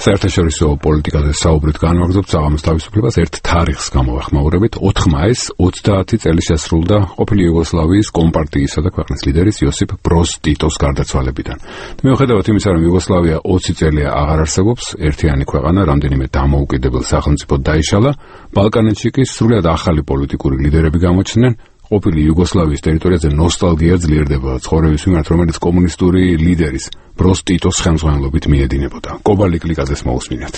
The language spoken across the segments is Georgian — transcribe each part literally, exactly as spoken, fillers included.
საერთაშორისო პოლიტიკაზე საუბრით განვაგრძობთ საღამოს თავისუფლებას ერთ თარიღს გამოვეხმაურებით. ოთხ მაისს ოცდაათი წელი შესრულდა ყოფილი იუგოსლავიის კომპარტიისა და ქვეყნის ლიდერის იოსიპ ბროს ტიტოს გარდაცვალებიდან. მიუხედავად იმისა, რომ იუგოსლავია ოცი წელია აღარ არსებობს, ერთიანი ქვეყანა, რამდენიმე დამოუკიდებელ სახელმწიფოდ დაიშალა, ბალკანეთში კი სრულიად ახალი პოლიტიკური ლიდერები გამოჩნდნენ. ყოფილი იუგოსლავიის ტერიტორიაზე ნოსტალგია ძლიერდება ცხოვრების მიმართ, რომელიც კომუნისტური ლიდერის ბროს ტიტოს ხელმძღვანელობით მიედინებოდა. კობალი კლიკაძეს მოусმინათ.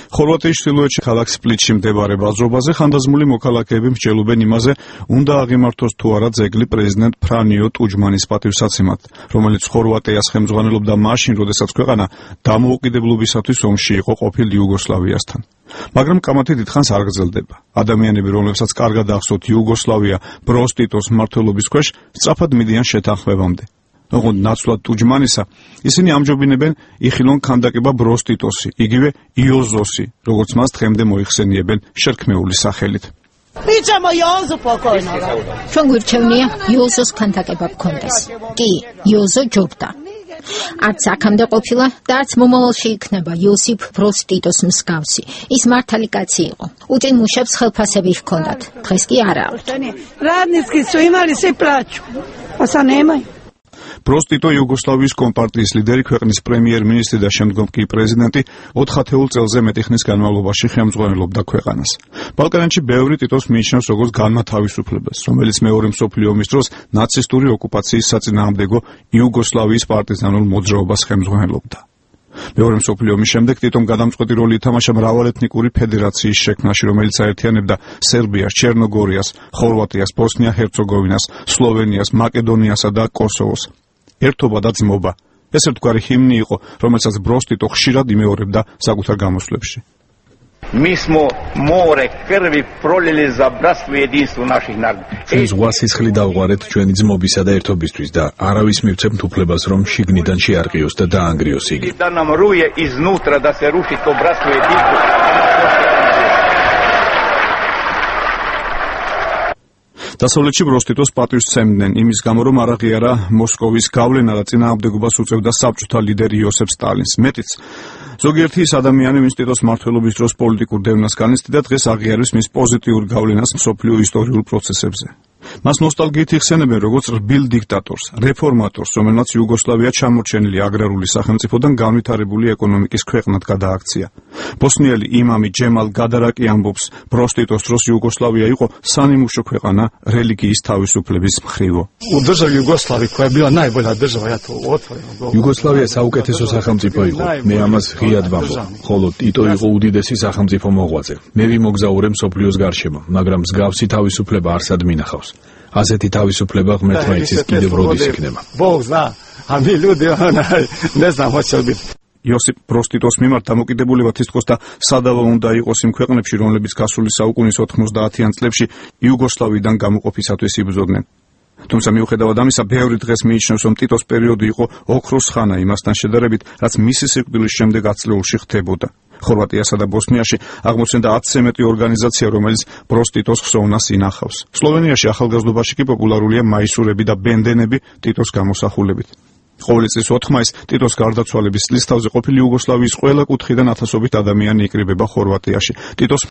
ხორვატიის ჩრდილოეთში ქალაქ სპლიტში მდებარე ბაზრობაზე ხანდაზმული მოქალაქეები მსჯელობენ იმაზე, უნდა აღიმართოს თუ არა ძეგლი პრეზიდენტ ფრანიო ტუჯმანის პატივსაცემად, რომელიც ხორვატიას ხელმძღვანელობდა მაშინ, როდესაც ქვეყანა დამოუკიდებლობისათვის ომში იყო ყოფილ იუგოსლავიასთან. მაგრამ კამათი დიდხანს არ გრძელდება. ადამიანები, რომლებსაც კარგად ახსოვთ იუგოსლავია ბროს ტიტოს მმართველობის ქვეშ, სწრაფად მიდიან შეთანხმებამდე. ოღონდ ნაცვლად ტუჯმანისა, ისინი ამჯობინებენ იხილონ ქანდაკება ბროს ტიტოსი, იგივე იოზოსი, როგორც მას დღემდე მოიხსენიებენ შერქმეული სახელით. ჩვენ გვირჩევნია იოზოს ქანდაკება გქონდეს. კი, იოზო ჯობდა. არც აქამდე ყოფილა და არც მომავალში იქნება იოსიპ ბროს ტიტოს მსგავსი. ის მართალი კაცი იყო. უწინ მუშებს ხელფასები ჰქონდათ. დღეს კი არა აქვთ. ბროს ტიტო იუგოსლავიის კომპარტიის ლიდერი, ქვეყნის პრემიერ-მინისტრი და შემდგომ კი პრეზიდენტი ოთხ ათეულ წელზე მეტი ხნის განმავლობაში ხელმძღვანელობდა ქვეყანას. ბალკანეთში ბევრი ტიტოს მიიჩნევს როგორც განმათავისუფლებას, რომელიც მეორე მსოფლიო ომის დროს ნაცისტური ოკუპაციის საწინააღმდეგო იუგოსლავიის პარტიზანულ მოძრაობას ხელმძღვანელობდა. მეორე მსოფლიო ომის შემდეგ ტიტომ გადამწყვეტი როლი ითამაშა მრავალეთნიკური ფედერაციის შექმნაში, რომელიც აერთიანებდა სერბიას, ჩერნოგორიას, ხორვატიას, ბოსნია-ჰერცეგოვინას, სლოვენიას, მაკედონიასა და კოსოვოს. ერთობა და ძმობა. ეს ერთგვარი ჰიმნი იყო, რომელსაც ბროს ტიტო ხშირად იმეორებდა საკუთარ გამოსვლებში. Mi smo more krvi prolili za bratstvo i jedinstvo naših naroda. ჩვენ ზღვას სისხლი დავღვარეთ ჩვენი ძმობისა და ერთობისთვის და არავის მივცემთ უფლებას, რომ შიგნიდან შეარყიოს და დაანგრიოს იგი. Da nam ruje iznutra da se ruši to bratstvo i jedinstvo. დასავლეთში ბროს ტიტოს პატივს სცემდნენ იმის გამო, რომ არ აღიარა მოსკოვის გავლენა და წინააღმდეგობას უწევდა საბჭოთა ლიდერ იოსებ სტალინს. მეტიც, ზოგიერთი ის ადამიანი, ვინც ტიტოს მმართველობის დროს პოლიტიკურ დევნას განიცდიდა, დღეს აღიარებს მის პოზიტიურ გავლენას მსოფლიო ისტორიულ პროცესებზე. მას ნოსტალგიით იხსენებენ როგორც რბილ დიქტატორს, რეფორმატორს, რომელმაც იუგოსლავია ჩამორჩენილი აგრარული სახელმწიფოდან განვითარებული ეკონომიკის ქვეყნად გადააქცია. ბოსნიელი იმამი ჯემალ გადარაკი ამბობს, ბროს ტიტოს დროს იუგოსლავია იყო სანიმუშო ქვეყანა რელიგიის თავისუფლების მხრივო. იუგოსლავია საუკეთესო სახელმწიფო იყო, მე ამას ღიად ვამბობ, ხოლო ტიტო იყო უდიდესი სახელმწიფო მოღვაწე. მე ვიმოგზაურე მსოფლიოს გარშემო, მაგრამ მსგავსი თავისუფლება არსად მინახავს. ასეთი თავისუფლება ღმერთმა იცის კიდევ როდის იქნება. იოსიპ ბროს ტიტოს მიმართ დამოკიდებულება თითქოს და სადავო უნდა იყოს იმ ქვეყნებში, რომლებიც გასული საუკუნის ოთხმოცდაათიან წლებში იუგოსლავიიდან გამოყოფისათვის იბრძოდნენ. თუმცა მიუხედავად ამისა, ბევრი დღეს მიიჩნევს, რომ ტიტოს პერიოდი იყო ოქროს ხანა იმასთან შედარებით, რაც მისი სიკვდილის შემდეგ ათწლეულში ხდებოდა. ხორვატიასა და ბოსნიაში აღმოცენდა ათზე მეტი ორგანიზაცია, რომელიც ბროს ტიტოს ხსოვნას ინახავს. სლოვენიაში ახალგაზრდობაში კი პოპულარულია მაისურები და ბენდენები ტიტოს გამოსახულებით. ყოველი წლის ოთხ მაისს ტიტოს გარდაცვალების წლისთავზე ყოფილი იუგოსლავიის ყველა კუთხიდან ათასობით ადამიანი იკრიბება ხორვატიაში. ტიტოს